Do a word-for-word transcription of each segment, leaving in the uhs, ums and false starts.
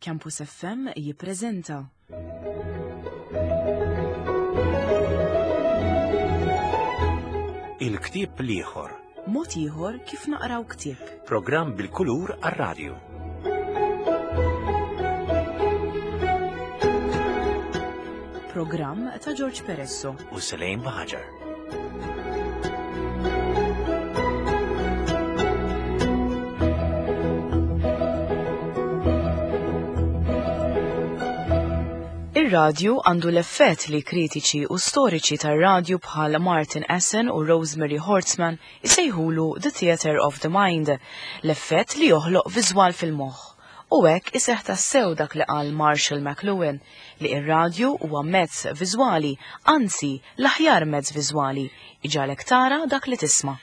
Campus F M jippreżenta Il-ktieb l-ieħor. Mod ieħor kif naqraw ktieb. Programm bil-kulur għar-radju. Programm ta' George Peresso. U Selejn Baħaġar. Ir-radju għandu l-effett li kritiċi u storiċi tar-radju bħal Martin Essen u Rosemary Hortzman isejħulu "The Theater of the Mind", l-effett li joħloq viżwal fil-moħħ. U hekk iseħħ tassew dak li qal Marshall McLuhan, li ir-radju huwa mezz viżwali, anzi l-aħjar mezz viżwali, iġagħlek tara dak li tisma'.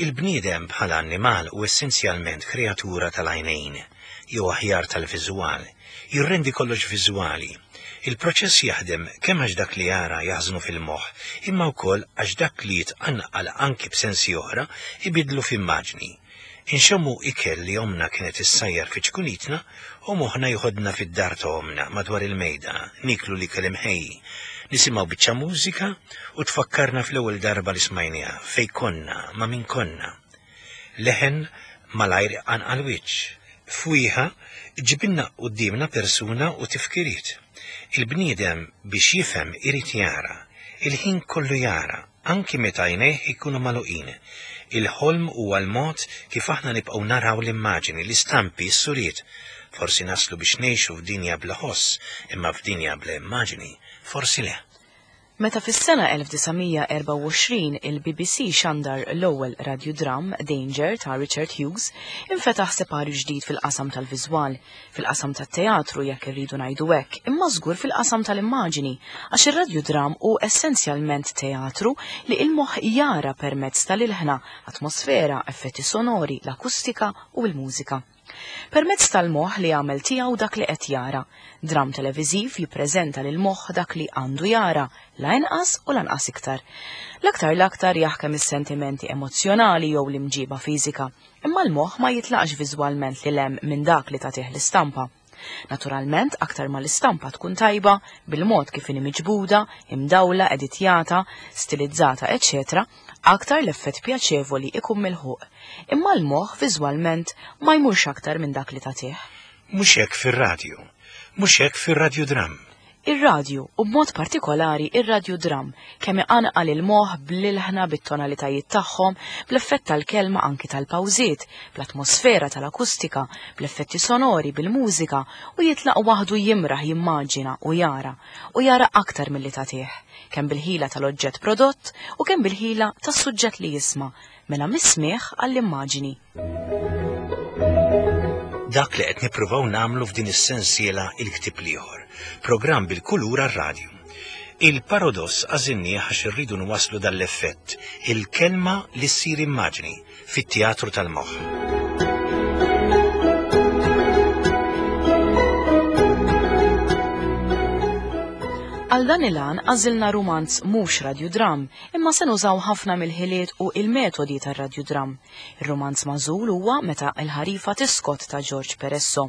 Il-bniedem bħala annimal hu essenzjalment kreatura tal-għajnejn, jew aħjar tal-viżwal, jirrendi kollox viżwali. Il-proċess jaħdem kemm għax dak li jara jaħżnu fil-moħħ, imma wkoll għax dak li jitqanqal anki b'sensi oħra ibidlu f'immaġni. Inxommu ikel li omna kienet issajjar fi ċkunitna u moħħna joħodna fid-dar ta' omna madwar il-mejda, niklu l-ikel imħejji. Nisimgħu biċċa mużika u tfakkarna fl-ewwel darba li smajniha, fej konna, ma' min konna. Leħen malajr anqal wiċċ. Fwieħa ġibinna qudiemna persuna u tifkiriet. Il-bniedem biex jifhem irid jara, il-ħin kollu jara, anki meta għajnejh ikunu magħluqin. Il-ħolm huwa l-mod kif aħna nibqgħu naraw l-immaġini, l-istampi, s-suriet. Forsi naslu biex ngħixu f'dinja bla ħoss, imma f'dinja bla immaġini, forsi le. Meta fis-sena elf disa' mija erbgħa u għoxrin il-B B C xandar l-ewwel radiodram, Danger ta' Richard Hughes, infetaħ separju ġdid fil-qasam tal-viżwal, fil-qasam tat-teatru jekk irridu ngħidu hekk, imma żgur fil-qasam tal-immaġini, għax ir-radiodram hu essenzjalment teatru li il-moħħ jara permezz tal-ilħna, atmosfera, effetti sonori, l-akustika u l-mużika. Permezz tal-moħħ li għamel tiegħu dak li qed jara. Dram televiżiv jippreżenta lil moħħ dak li għandu jara, la inqas u lanqas iktar. L-aktar l-aktar jaħkem is-sentimenti emozjonali jew l-imġiba fiżika, imma l-moħħ ma jitlaqx viżwalment lil hemm minn dak li tagħtih l-istampa. Naturalment, aktar ma l-istampa tkun tajba, bil-mod kif inhi miġbuda, imdawla, editjata, stilizzata, eċċetera, aktar l-effett pjaċevoli ikun milħuq. Imma l-moħħ viżwalment ma jmurx aktar minn dak li tagħtih. Mhux hekk fir-radju, mhux hekk fir-radiodram. Ir-radju, u b'mod partikolari ir-radiodram, kemm iqanqal il-moħħ bl-ilħna, bit-tonalitajiet tagħhom, bl-effett tal-kelma, anki tal-pawżiet, bl-atmosfera tal-akustika, bl-effetti sonori, bil-mużika, u jitlaq waħdu jimraħ jimmaġina u jara, u jara aktar milli tagħtih, kemm bil-ħila tal-oġġett prodott u kemm bil-ħila tas-suġġett li jisma', mela mis-smigħ għall-immaġini. Dak li qed nippruvaw nagħmlu f'din is-sensiela Il-Ktieb l-Ieħor, programm bil-kulur għar-radju. Il-paradoss għażilnieh għax irridu nwasslu dal-effett, il-kelma li ssir immaġni fit-teatru tal-moħħ. Għal dan il-għan għażilna rumanz mhux radiodram, imma se nużaw ħafna mill-ħiliet u il-metodi tar-radiodram. Ir-rumanz magħżul huwa Meta l-Ħarifa Tiskot ta' George Peresso.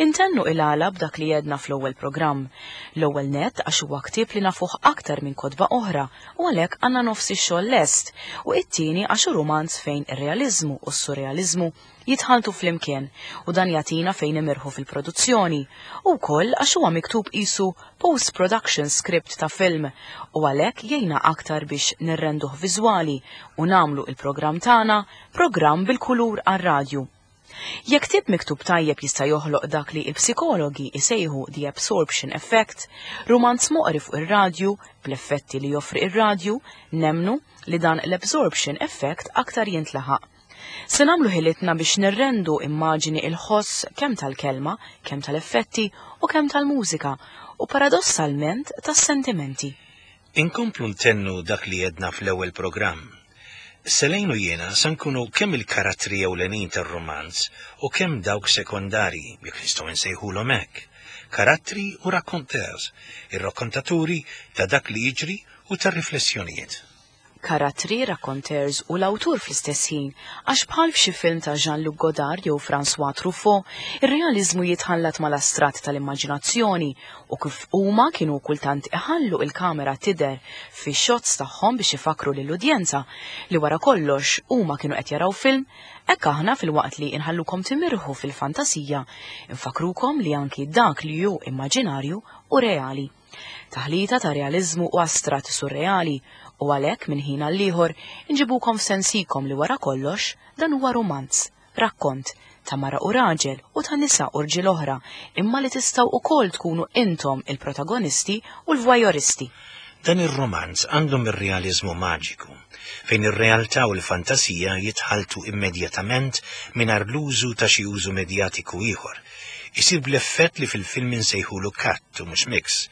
Intennu il-għala b'dak li jedna fl-ewwel programm. L-ewwel net għax huwa ktieb li nafuh aktar minn kotba oħra u għalhekk għandna nofs ix-xogħol lest, u it-tieni għax hu rumanz fejn ir-realiżmu u s-surrealiżmu jitħaltu flimkien u dan jagħtina fejn imirħu fil-produzzjoni, u wkoll għax huwa miktub qisu post-production script ta' film u għalhekk jgħinna aktar biex nirrenduh viżwali u nagħmlu il-programm tagħna programm bil-kulur għar-radju. Jekk ktieb miktub tajjeb jista' joħloq dak li l-psikologi isejħu the absorption effect, rumanz moqri fuq ir-radju bl-effetti li joffri ir-radju, nemmnu li dan l-absorption effect aktar jintlaħaq. Se nagħmlu ħilitna biex nirrendu immaġini il-ħoss kemm tal-kelma, kemm tal-effetti u kemm tal-mużika u paradossalment tas-sentimenti. Inkomplu ntennu dak li jedna fl-ewwel programm. Selejn u jiena se nkunu kemm il-karattri ewlenin tar-romanz u kemm dawk sekondarji, jekk nistgħu nsejħulhom hekk. Karattri u raconteurs, ir-rakkontaturi ta' dak li jiġri u tar-riflessjonijiet. Karattri, raconteurs u l-awtur fl-istess ħin, għax bħal f'xi film ta' Jean-Luc Godard jew François Truffaut, ir-realiżmu jitħallat mal-astrat tal-immaġinazzjoni u kif huma kienu kultant iħallu il-kamera tidher fix-shots tagħhom biex ifakru lill-udjenza li wara kollox huma kienu qed jaraw film, hekk aħna filwaqt li inħallukom timirħu fil-fantasija, infakrukom li anki dak li hu immaġinarju u reali. Taħlita ta' realiżmu u astrat surreali, u għalhekk minn ħin għal ieħor inġibukom f'sensikom li wara kollox dan huwa romanz, rakkont ta' mara u raġel u ta' nisa u rġiel oħra, imma li tistgħu ukoll tkunu intom il-protagonisti u l-voyeuristi. Dan ir-romanz għandhom ir-realiżmu maġiku, fejn ir-realtà u l-fantasija jitħaltu immedjatament mingħajr l-użu ta' xi użu medjatiku ieħor. Isir bl-effett li fil-film insejħulu cut u mhux mix,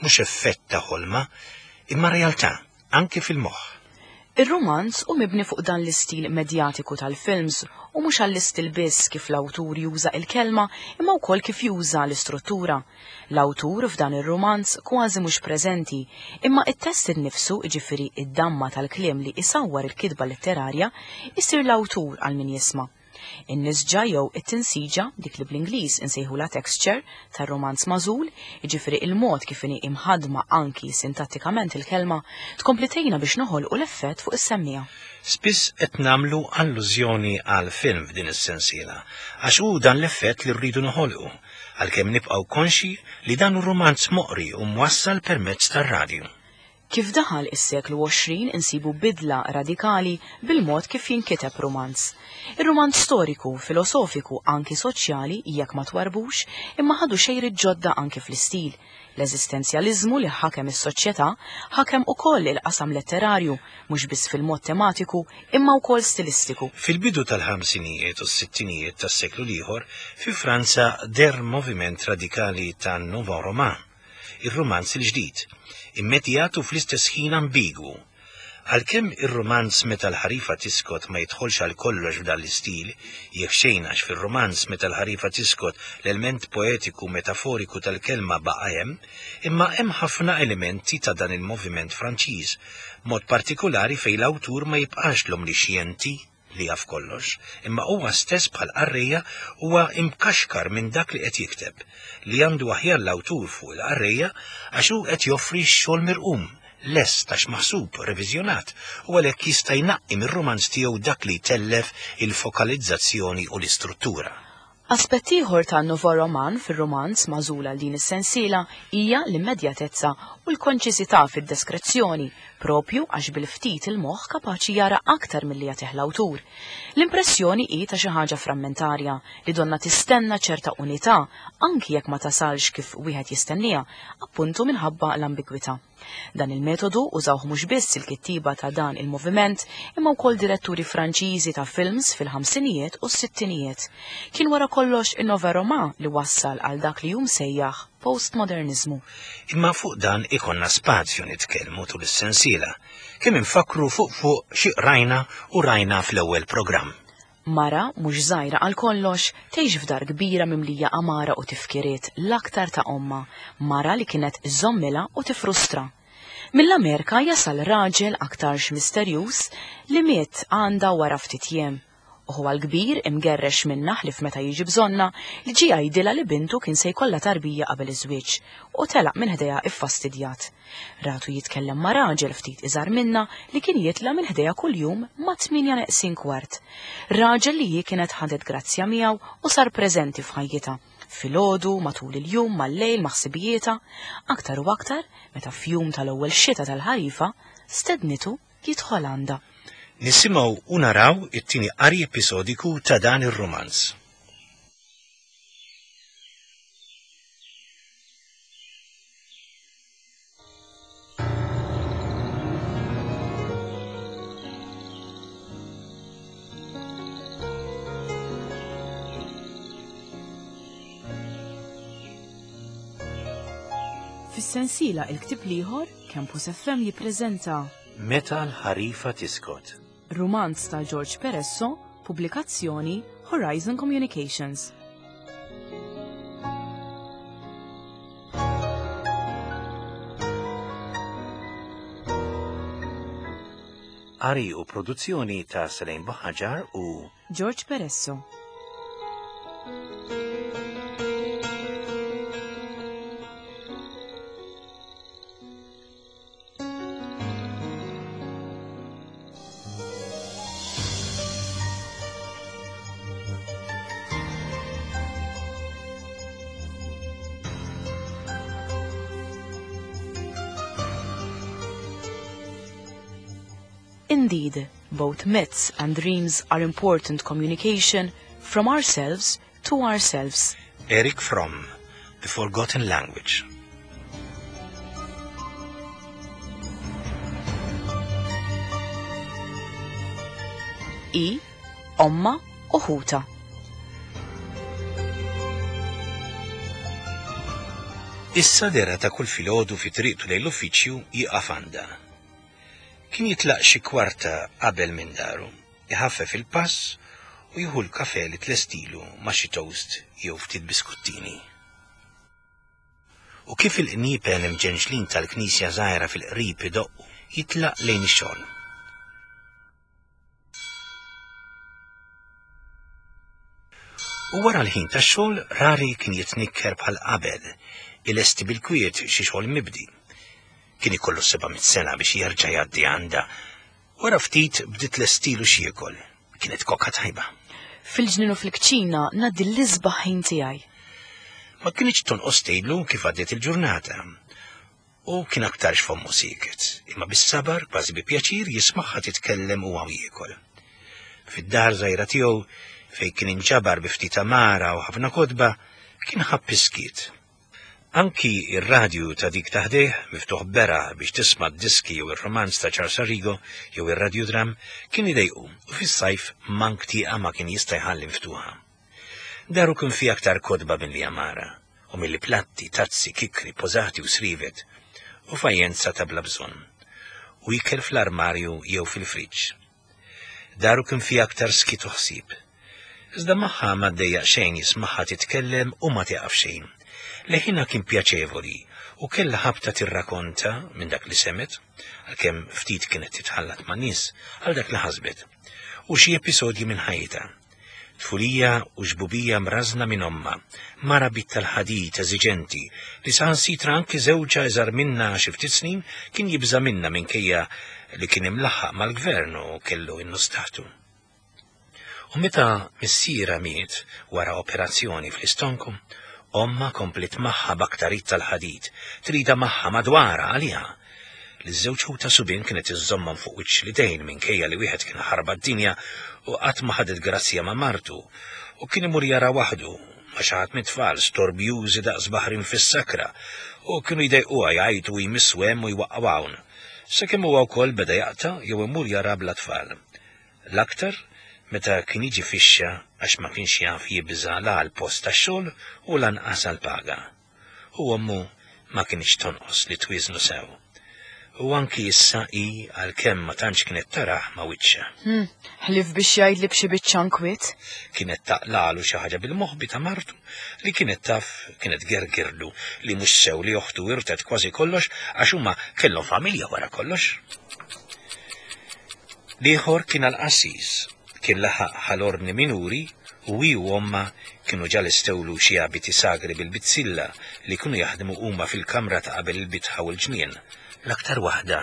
mhux effett ta' ħolma, imma realtà, anke fil-moħħ. Ir-romanz hu mibni fuq dan l-istil medjatiku tal-films u mhux għall-istil biss kif l-awtur juża il-kelma imma wkoll kif juża l-istruttura. L-awtur f'dan ir-romanz kważi mhux preżenti, imma it-test innifsu, jiġifieri id-damma tal-kliem li isawwar il-kitba letterarja, isir l-awtur għal min jisma'. In-nisġa jew it-tinsiġa, dik li bl-Ingliż insejħula texture, tar-romanz magħżul, jiġifieri il-mod kif inhi imħadma anki sintattikament il-kelma, tkompli tgħinna biex noħolqu l-effett fuq is-semmiegħa. Spiss qed nagħmlu allużjoni għal film f'din is-sensiela, għax hu dan l-effett li rridu noħolqu, għalkemm nibqgħu konxi li dan hu romanz moqri u mwassal permezz tar-radju. Kif daħal is-seklu għoxrin insibu bidla radikali bil-mod kif jinkiteb romanz. Ir-romanz storiku, filosofiku, anki soċjali, jekk ma twarbux, imma ħadu xejri ġodda anki fl-istil. L-eżistenzjaliżmu li ħakem is-soċjetà ħakem ukoll il-qasam letterarju, mhux biss fil-mod tematiku, imma wkoll stilistiku. Fil-bidu tal-ħamsinijiet u s-sittinijiet tas-seklu l-ieħor, fi Franza der moviment radikali tan-Nouveau Roman, ir-romanz il-ġdid, immedjat u fl-istess ħin ambigwu. Għalkemm ir-romanz meta l-ħarifa tiskot ma jidħolx għal kollox f'dan l-istil, jekk xejn għax fir-romanz meta l-ħarifa tiskot l-element poetiku metaforiku tal-kelma baqa' hemm, imma hemm ħafna elementi ta' dan il-moviment Franċiż, mod partikolari fejn l-awtur ma jibqax l-omnixjenti li jaf kollox, imma huwa stess bħal qarrejja huwa imkaxkar minn dak li qed jikteb, li għandu aħjar l-awtur fuq il-qarrejja għax hu qed joffri x-xogħol mirqum, lest għax maħsub, reviżjonat, u għalhekk jista' jnaqqi mir-romanz tiegħu dak li jtellef il-fokalizzazzjoni u l-istruttura. Aspett ieħor ta' Nouveau Roman fir-romanz magħżul għal din is-sensiela hija l-immedjatezza u l-konċisità fid-deskrizzjoni, propju għax bil-ftit il-moħħ kapaċi jara aktar milli jagħtih l-awtur. L-impressjoni hi ta' xi ħaġa frammentarja li donna tistenna ċerta unità anki jekk ma tasalx kif wieħed jistenniha, appuntu minħabba l-ambigwità. Dan il-metodu użawh mhux biss il-kittiba ta' dan il-moviment, imma wkoll diretturi Franċiżi ta' films fil-ħamsinijiet u s-sittinijiet. Kien wara kollox in-Nouveau Roman li wassal għal dak li hu msejjaħ postmodernizmu. Imma fuq dan ikonna spazju nitkellmu tul is-sensiela, kemm infakru fuq fuq xi rajna u rajna fl-ewwel programm. Mara mhux żgħira għal kollox tgħix f'dar kbira mimlija amara u tifkiriet l-aktar ta' omma, mara li kienet iżommilha u tifrustra. Mill-Amerika jasal raġel aktarx misterjuż li miet għandha wara ftit jiem. U huwa l-kbir imgerrex minna ħlif meta jiġi bżonna li ġie jgħidilha li bintu kien se jkollha tarbija qabel iż-żwieġ u telaq minn ħdejha iffastidjat. Ratu jitkellem ma' raġel ftit iżgħar minna li kien jitla' minn ħdejha kuljum ma' tminja neqsin kwart. Raġel li hi kienet ħadet grazzja miegħu u sar preżenti f'ħajjitha. Filgħodu, matul il-jum, mal-lejl, ma' ħsibijietha, aktar u aktar meta f'jum tal-ewwel xita tal-ħarifa stednitu jidħol għandha. Nisimgħu u naraw it-tieni qari episodiku ta' dan ir-romanz. Fis-sensiela il-ktieb l-ieħor, Campus F M jippreżenta Meta l-ħarifa tiskot. Romanz ta' George Peresso, pubblikazzjoni Horizon Communications. Qari u produzzjoni ta' Selene Buhagiar u George Peresso. Indeed, both myths and dreams are important communication from ourselves to ourselves. Erich Fromm, The Forgotten Language. I, ommha u ħutha. Issa dera ta' kull filgħodu fi triqtu lejn l-uffiċċju jieqaf għandha. Kien jitlaq xi kwarta qabel minn daru, iħaffef il-pass u jieħu l-kafe li tlestilu ma' xi toast jew ftit biskuttini. U kif il-qniepen imġenġlin tal-knisja żgħira fil-qrib idoqqu, jitlaq lejn ix-xogħol. U wara l-ħin tax-xogħol rari kien jitnikker bħal qabel, ilesti bil-kwiet xi xogħol mibdi. Kien ikollu seba' mitt sena biex jerġa' jgħaddi għandha. Wara ftit bdiet lestilu x'jiekol. Kienet kokka tajba. Fil-ġnien u fil-kċina ngħaddi l-isbaħ ħin tiegħi. Ma kienx tonqos tgħidlu kif għaddiet il-ġurnata. U kien aktarx fommu sieket, imma bis-sabar kważi bi pjaċir jismagħha titkellem u hawn jiekol. Fid-dar żgħira tiegħu fejn kien inġabar bi ftit amara u ħafna kotba, kien ħabb iskiet. Anki ir-radju ta' dik taħdejh miftuħ bera biex tisma' d-diski jew ir-romanz ta' Charles Arrigo jew ir-radjudram kien idejqu u fis-sajf mank tieqa ma kien jista' jħalli miftuħa. Daru kien fi aktar kotba milli amara u milli platti, tazzi, kikri, pożati u srivet u fajjenza ta' bla bżonn u ikel fl-armarju jew fil-friġġ. Daru kien fi aktar skit u ħsieb. Iżda magħha ma ddejjaq xejn jismagħha titkellem u ma tieqaf xejn. Leħinha kien pjaċevoli u kellha ħabta tirrakonta minn dak li semet, għalkemm ftit kienet titħallat ma' nies għal dak li ħasbet, u xi episodji minn ħajta. Tfulija u xbubija mrażna minn ommha, mara bit tal-ħadid eżiġenti li saħansitra anki żewġha iżgħar minna xi ftit snin kien jibża' minna minkejja li kien imlaħħaq mal-gvern u kellu in-nus taħtu. U meta missiera miet wara operazzjoni fl-istonku, omma komplet magħha b'aktarit tal-ħadid, trida magħha madwara għaliha. Li żewġ ħuta subien kienet iżżommhom fuq wiċċ l-idejn minkejja li wieħed kien ħarba d-dinja u qatt ma ħadet grazzja ma' martu u kien imur jara waħdu ma' xi ħadd mit-tfal storbjużi daqs baħrin fis-sakra u kienu jdejquha jgħajtu u jmissu hemm u jwaqqgħu hawn. Sakemm huwa wkoll beda jaqta' jew imur jara bla tfal. L-aktar meta kien jiġi fixxa għax ma kienx jaf jibża' la għall-post tax-xogħol u lanqas għall-paga. U ommu ma kienx tonqos li twiżnu sew. U anki issa hi għalkemm ma tantx kienet taraħ ma' wiċċha. Hmm, ħlief biex jgħidli b'xi biċċa nkwiet. Kienet taqlalu xi ħaġa bil-moħbi ta' martu li kienet taf kienet gergirlu li mhux sew li oħtu wirtet kważi kollox għax huma kellhom familja wara kollox. L-ieħor kien għall-qassis, kien laħaq ħal-ordni minuri u hi u omma kienu ġa lestewlu xi abiti sagri bil-bizzilla li kienu jaħdmu huma fil-kamra ta' qabel il-bitħa u l-ġnien, l-aktar waħda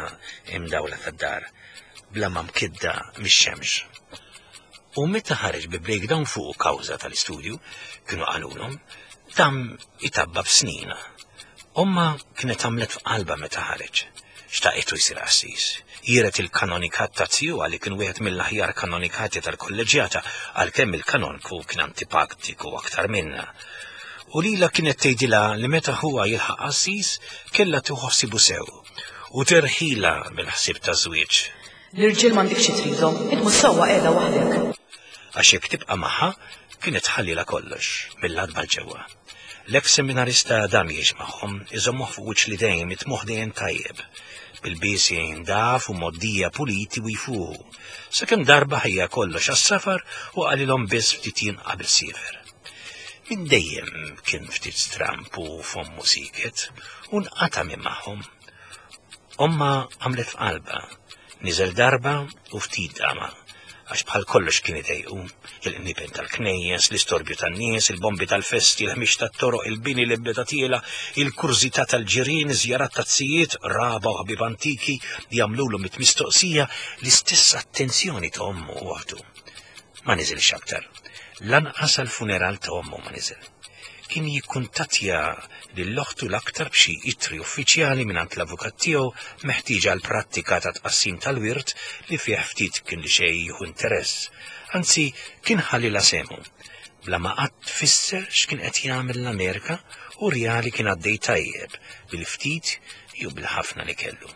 imdawla tad-dar, bla ma mkidda mix-xemx. U meta ħareġ bi breakdown fuq kawża tal-istudju, kienu qalulhom, dam itabba b'snin. Omma kienet għamlet f'qalba meta ħareġ. Xtaqitu jsir qassis. Jiret il-kanonikat ta' tiegħu li kien wieħed mill-aħjar kanonikati tal-kolleġjata għalkemm il-kanonku kien antipatiku aktar minna. U lila kienet tgħidilha li meta huwa jilħaq qassis kellha tieħu ħsibu sew u terħila mill-ħsieb ta' żwieġ. L-irġiel m'għandekx xi tridhom, int mhux sewwa qiegħda waħdek. Għax jekk tibqa' magħha kienet tħallilha kollox mill-adba l-ġewwa. L-eks seminarista dam jgħix magħhom, iżommuh fuq wiċċ li dejjem itmuh dejjem tajjeb, bil-biesi ndaf u moddija puliti u jfuħu. Sakemm darba ħejja kollox għas-safar u qalilhom biss ftit jien qabel siefer. Minn dejjem kien ftit stramp u fommu siket u nqata' minn magħhom. Omma għamlet f'qalba, Niżel darba u ftit dama, għax bħal kollox kien idejqu, il-qnipen tal-knejjes, l-istorbju tan-nies, il-bombi tal-festi, il-ħmix tat-toroq, il-bini li beda tiela, il-kurżità tal-ġirien, żjarat tazzijiet, raba u ħbieb antiki jagħmlulu mit-mistoqsija l-istess attenzjoni ta' ommu u oħtu. Ma niżilx aktar. Lanqas għall-funeral ta' ommu ma niżel. Kien jikkuntattja lil oħtu l-aktar b'xi ittri uffiċjali mingħand l-avukat tiegħu meħtieġa għal prattika ta' tqassim tal-wirt li fih ftit kien li xejn jieħu interess. Anzi, kien ħallilha sehmu. Bla ma qatt fisser x'kien qed jagħmel l-Amerika u rjali kien għaddej tajjeb bil-ftit jew bil-ħafna li kellu.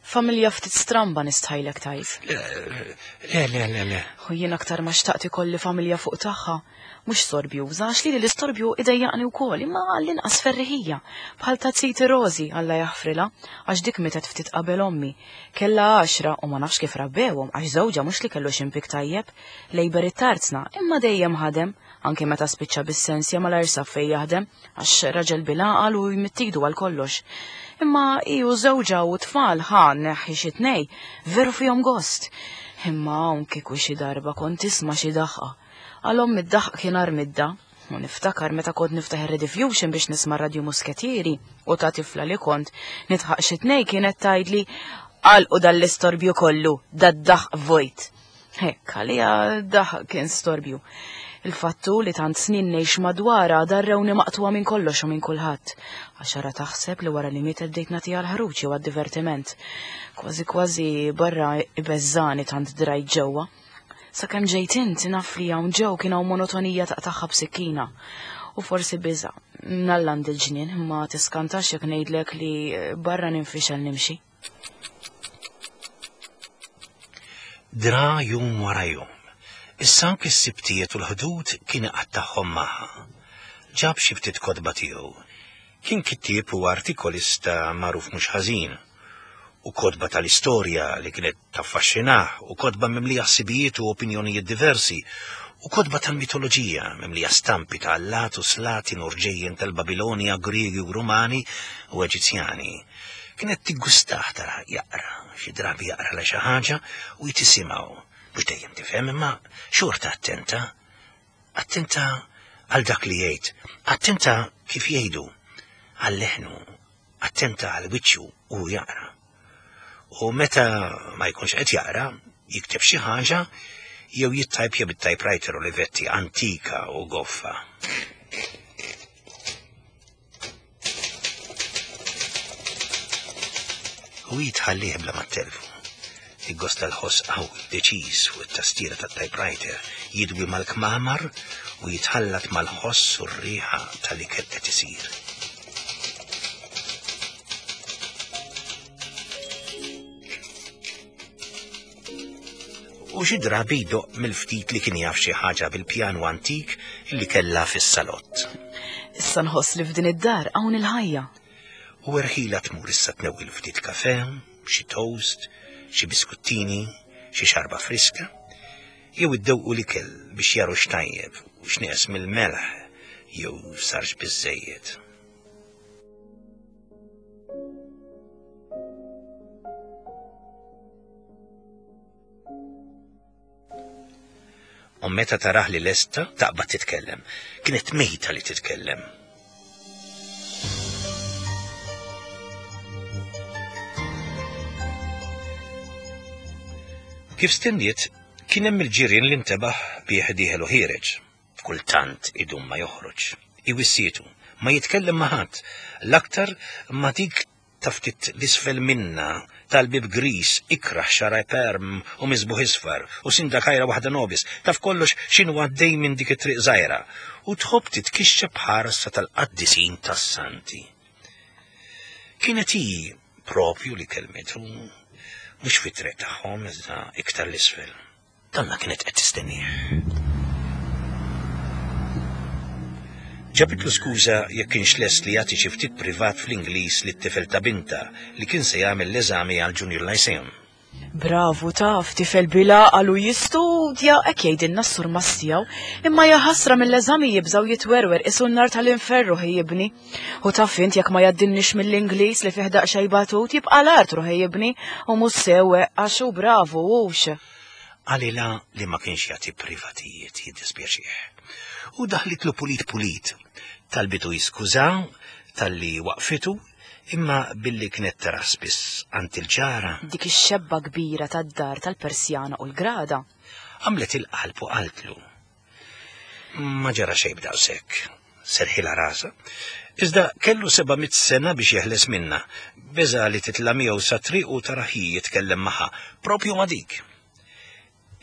Familja ftit stramba nistħajlek tajt. Le, le, le, le. U jien aktar ma xtaqt ikolli familja fuq tagħha. Mhux sorbjuża, għax lili l-istorbju idejjaqni wkoll, imma għall-inqas ferriħija. Bħal ta' Ziti Rosi, Alla jaħfrilha, għax dik mietet ftit qabel ommi. Kellha għaxra u ma nafx kif rabbewhom, għax żewġha mhux li kellu xi impik tajjeb, lejber it-tarzna, imma dejjem ħadem, anke meta spiċċa bis-sensja malajr sab fejn jaħdem, għax raġel bil-għaqal u jmittidu għal kollox. Imma iju żewġha u tfal ħa neħħi xi tnej, veru fihom gost. Imma hawn kieku xi darba kont tisma' xi daħqa. Għal ommi d-daħq kien armidda. U niftakar meta kont niftaħ ir-Rediffusion biex nisma' Radio Musketieri u ta' tifla li kont nidħaq xi tnej kienet tgħidli għalqu dal-istorbju kollu, dad-daħq vojt. Hekk, għalija daħq kien storbju. Il-fattu li tant snin ngħix madwarha darrewni maqtuwa minn kollox u minn kulħadd. Għax ara taħseb li wara li mietet bdejt nagħtiha l-ħruġ jew għad-divertiment. Kważi kważi barra ibeżżani tant drajt ġewwa. Sakemm ġejt int naf li hawn ġew kien hawn monotonija taqtagħha b'sikkina. U forsi biża' nalland il-ġnien, imma tiskantax jekk ngħidlek li barra ninfixel nimxi. Dra jum wara jum. Issa anke s-sibtijiet u l-ħdud kien iqattagħhom magħha. Ġab xi ftit kotba tiegħu. Kien kittieb u artikolista magħruf mhux ħażin, u kotba tal-istorja li kienet taffaxxinah, u kotba mimlija ħsibijiet u opinjonijiet diversi, u kotba tal-mitoloġija mimlija stampi ta' allat u slatin u rġejjen tal-Babilonja, Griegi u Rumani u Eġizzjani. Kienet tiggustah tara jaqra, xi drabi jaqra la xi ħaġa u jtisimgħu. Mhux dejjem tifhem, imma xorta attenta. Attenta għal dak li jgħid, attenta kif jgħidu, għal leħnu, attenta għal wiċċu u jaqra. U meta ma jkunx qed jaqra, jikteb xi ħaġa jew jittajpja bit-typewriter Olivetti antika u goffa. U jitħallih bla ma telfu. Iggosta l-ħoss qawwi, deċiż fuq it-tastiera tat-typewriter, jidwi mal-kmamar u jitħallat mal-ħoss u r-riħa tal-ikel qed isir. U xi drabi jdoqq mill-ftit li kien jaf xi ħaġa bil-pjanu antik li kellha fis-salott. Issa nħoss li f'din id-dar hawn il-ħajja. U erħila tmur issa tnewwil ftit kafe, xi toast, xi biskuttini, xi xarba friska, jew iddewqu l-ikel biex jaru x'tajjeb u x'nieqes mill-melħ jew sarx biżżejjed. U meta taraħ li lesta taqbad titkellem. Kienet mejta li titkellem. Kif stenniet, kien hemm il-ġirien li ntebaħ bih dieħel u ħiereġ. Kultant idum ma joħroġ. Iwissietu, ma jitkellem ma' ħadd. L-aktar ma dik ta' ftit l-isfel minna, tal-bib gris, ikraħ xara perm u miżbuħ isfar, u sindakajra waħda nobis, taf kollox x'inhu għaddej minn dik it-triq żgħira, u tħobb titkixxa bħarsa tal-qaddisin tas-santi. Kienet hi propju li kelmetu, mhux fit-triq tagħhom iżda iktar l-isfel. Donna kienet qed tistennieh. Ġabitlu skuża jekk kienx lest li jagħti xi ftit privat fl-Ingliż lit-tifel ta' binta li kien se jagħmel l-eżami għal Junior Lyceum. Bravu taf, tifel bila għalu jistudja, hekk jgħidilna s-surmast tiegħu, imma jaħasra mill-eżami jibżaw jitwerwer isu n-nar tal-inferru ħejjibni. U taf int jekk ma jaddinniex mill-Ingliż li fih daqsxejn batut jibqa' l-art ħejjibni u mhux sewe għax hu bravu hux. Qalilha li ma kienx jagħti privatijiet jiddispjaċih. U daħlitlu pulit pulit. Talbitu jiskuża talli waqfitu imma billi kienet tara spiss għand il-ġara. Dik ix-xebba kbira tad-dar tal-Persjana u l-Grada. Għamlet il-qalb u qaltlu. Ma ġara xejn b'daqshekk, serħilha rasha. Iżda kellu seba' mitt sena biex jeħles minna. Beża li titla' miegħu sa triq u tara hi jitkellem magħha, propju ma' dik.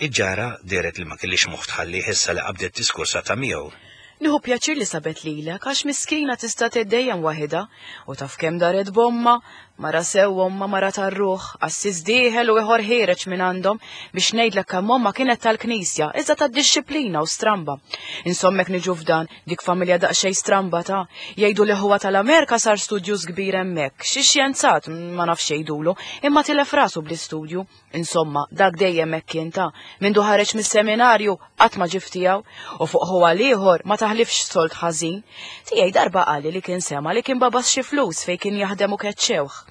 Il-ġara dehret li ma kellix moħħ tħalli issa li qabdet diskursa ta' miegħu. Nieħu pjaċir li sabet lilek għax miskina tista' tgħid dejjem waħidha u taf kemm daret bomma, mara sew omma mara tar-ruħ, qassis dieħel u ieħor ħiereġ minn għandhom biex ngħidlek kemm omma kienet tal-knisja, iżda tad-dixxiplina u stramba. Insommek niġu f'dan dik familja daqsxejn stramba ta' jgħidu li huwa tal-Amerika sar studjus kbir hemmhekk, xi xjenzat ma nafx jgħidulu, imma tilef rasu bl-istudju. Insomma, dak dejjem hekk kien ta' mindu ħareġ mis-seminarju qatt ma ġif tiegħu u fuq huwa l-ieħor ma taħlifx sold ħażin. Tiegħi darba qali li kien sema li kien babas xi flus fejn kien jaħdem u keċċewh.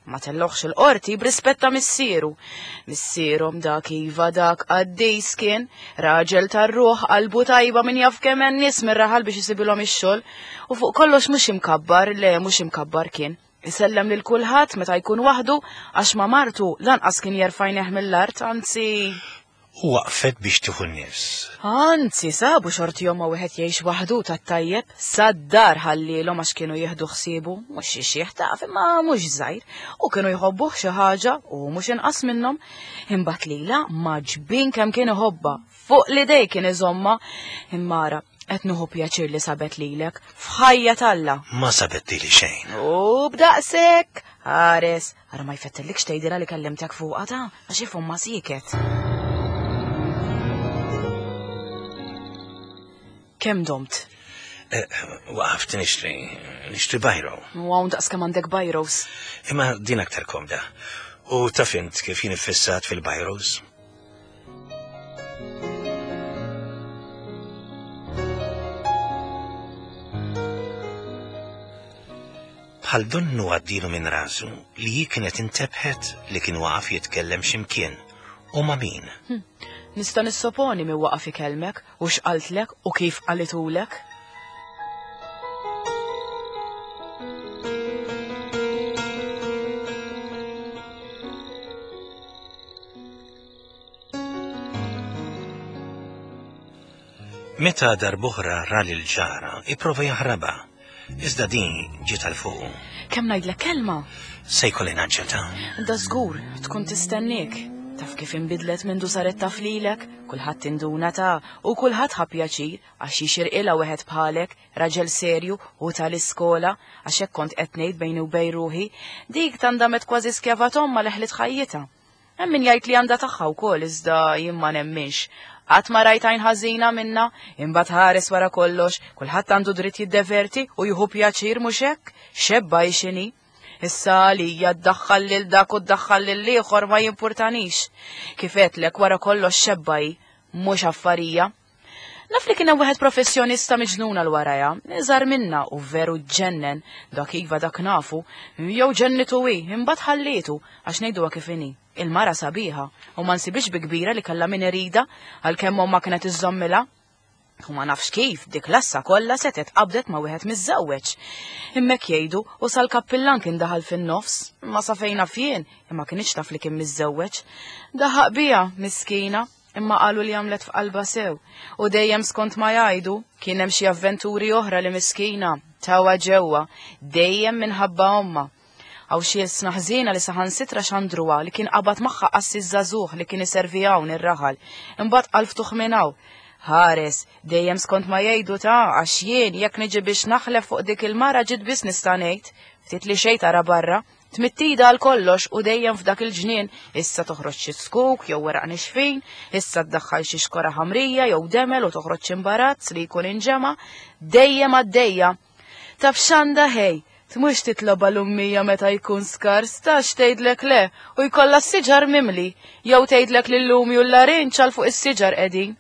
Ma telloħx il-qorti b'rispett ta' missieru. Missierhom dak iva dak qaddis kien, raġel tar-ruħ qalbu tajba min jaf kemm hemm nies mir-raħal biex isibilhom ix-xogħol u fuq kollox mhux imkabbar, le mhux imkabbar kien. Isellem lil kulħadd meta jkun waħdu għax ma' martu lanqas kien jerfajneh mill-art, anzi. U waqfet biex tieħu n-nifs. Anzi, sabu xortihom ma wieħed jgħix waħdu tat-tajjeb, sad-dar ħallilhom għax kienu jieħdu ħsiebu, mhux xi xiħ taf imma mhux żgħir, u kienu jħobbuh xi ħaġa u mhux inqas minnhom. Imbagħad lilha maġbin kemm kien iħobbha, fuq l-idej kien iżomma, imma ara qed nieħu pjaċir li sabet lilek f'ħajja t'Alla. Ma sabet lili xejn. U b'daqshekk, ħares, ara ma jfettillikx tgħidilha li kellimtek fuqha ta' għax ifhom ma siket. Kemm domt? Waqaft nixtri, nixtri bajro. U hawn daqs kemm għandek bajros. Imma din aktar komda. U taf int kif jien iffissat fil-bajros? Bħal donnu għaddilu minn rasu li hi kienet intebħet li kien waqaf jitkellem x'imkien u ma' min. Hm. Nista' nissoponi min waqaf ikellmek u x'qaltlek u kif qalitulek. Meta darb'oħra ra lil ġara, ipprova jaħrabha. Iżda din ġiet għal fuqu. Kemm ngħidlek kelma? Se jkolli naġġel ta'. Da żgur, tkun tistenniek. Taf kif inbidlet mindu saret taf lilek, kulħadd induna ta' u kulħadd ħa pjaċir għax jixirqilha wieħed bħalek, raġel serju u tal-iskola, għax hekk kont qed ngħid bejni u bejn ruħi, dik tandamet kważi skjava t'ommha li ħliet ħajjitha. Hemm min jgħid li għandha tagħha wkoll iżda jien ma nemminx. Qatt ma rajt għajn ħażina minnha, imbagħad ħares wara kollox, kulħadd għandu dritt jiddeverti u jieħu pjaċir mhux hekk, xebba hi x'inhi. Issa għalija ddaħħal lil dak u ddaħħal lil ieħor ma jimpurtanix. Kif għedtlek wara kollox xebba hi, mhux affarija. Naf li kien hemm wieħed professjonista miġnun għal warajha, iżgħar minna u veru ġennen, dak iva dak nafu, jew ġennitu hi, imbagħad ħallietu għax ngħiduha kif inhi. Il-mara sabiħa u ma nsibix bi kbira li kellha min irida għalkemm omma kienet iżżommilha. U ma nafx kif dik l-assa kollha setgħet qabdet ma' wieħed miżżewweġ. Hemmhekk jgħidu u sal-kappillan kien daħal fin-nofs, ma sa fejn naf jien, imma kienx taf li kien miżżewweġ. Daħaq biha, miskina, imma qalu li għamlet f'qalbha sew. U dejjem skont ma jgħidu, kien hemm xi avventuri oħra li miskina tawha ġewwa, dejjem minħabba omma. Għaw xi sna ħżiena li saħansitra xandruha li kien qabad magħha qassis żagħżugħ li kien iservi hawn ir-raħal. Imbagħad qal ftuħ minn hawn. Ħares, dejjem skont ma jgħidu ta' għax jien jekk niġi biex naħlef fuq dik il-mara ġiet biss nista' ngħid. Ftit li xejn tara barra, tmittida għal kollox u dejjem f'dak il-ġnien issa toħroġ xi skuk jew weraq nixfin, issa ddaħħal xi xkora ħamrija jew demel u toħroġ xi imbarazz li jkun inġema', dejjem għaddejja. Taf x'għandha ħej, Tmux titloba l-ummija meta jkun skars, tax tgħidlek le u jkollha s-siġar mimli, jew tgħidlek li l-lumi u l-larinġ għal fuq is-siġar qegħdin.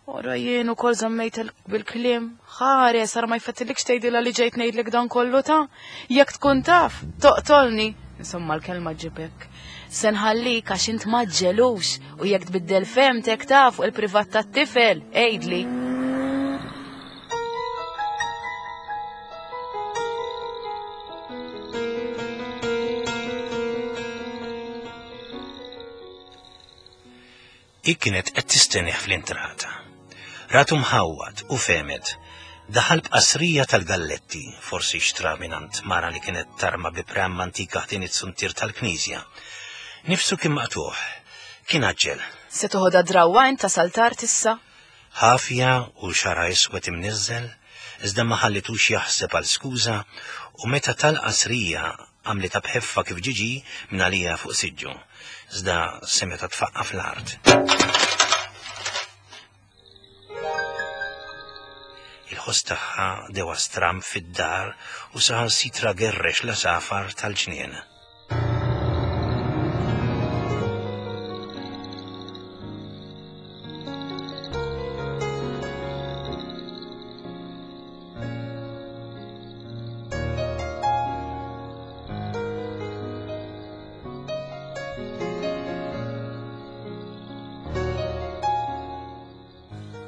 Ora jien ukoll żammejt bil-kliem, ħares ara ma jfettillikx tgħidilha li ġejt ngħidlek dan kollu ta' jekk tkun taf, toqtolni. Insomma l-kelma ġibek. Se nħallik għax int maġġelux u jekk tbiddel fehmtek taf fuq il-privat tat-tifel, għidli. Hi kienet qed tistennieh fl-intrata. Ratu mħawwad u fehmet. Daħal b'qasrija tal-galletti, forsi xtra mingħand mara li kienet tarma bi pram antika ħdejn it-suntier tal-knisja. Nifsu kien maqtuħ, kien għaġġel. Se toħodha drawwa int tasal tard issa? Ħafja u xara iswed imniżżel, iżda ma ħallitux jaħseb għal skuża u meta tal-qasrija għamlitha b'ħeffa kif ġiġi minn għalija fuq siġġu, iżda semeta tfaqqa fl-art. Il-ħoss tagħha dewa stram fid-dar u saħansitra gerrex l-għasafar tal-ġnien.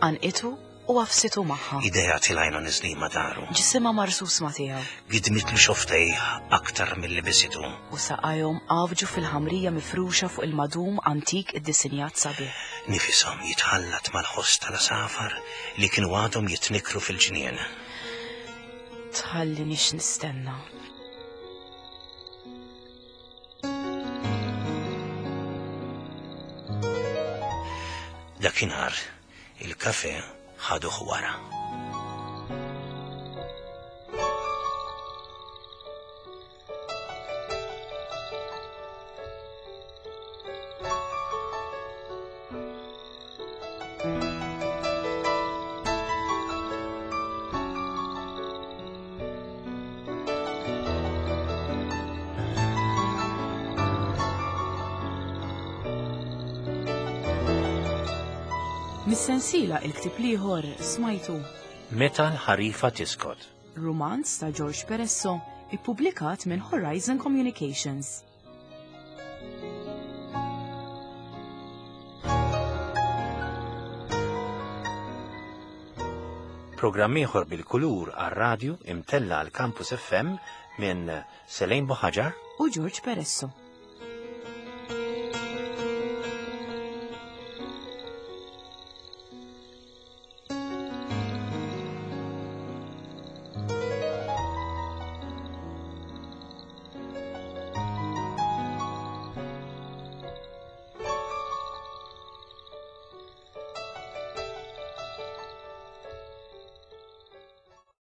Għanqitu u għafsitu magħha. Idejha tilgħajna niżlin ma' daru. Ġisimha marsus ma' tiegħu. Gidmitlu xoftejh aktar milli bisitu. U saqajhom għafġu fil-ħamrija mifruxa fuq il-madum antik iddisinjat sabiħ. Nifishom jitħallat mal-ħoss tal-għasafar li kienu għadhom jitnikru fil-ġnien. Tħallinix nistenna. Dakinhar il-kafe ħaduh wara. Mis-sensiela il-ktieb l-ieħor smajtu Meta l-ħarifa tiskot. Rumanz ta' George Peresso, ippubblikat minn Horizon Communications. Programm ieħor bil-kulur għar-radju imtella għal Campus F M minn Selene Buhagiar u George Peresso.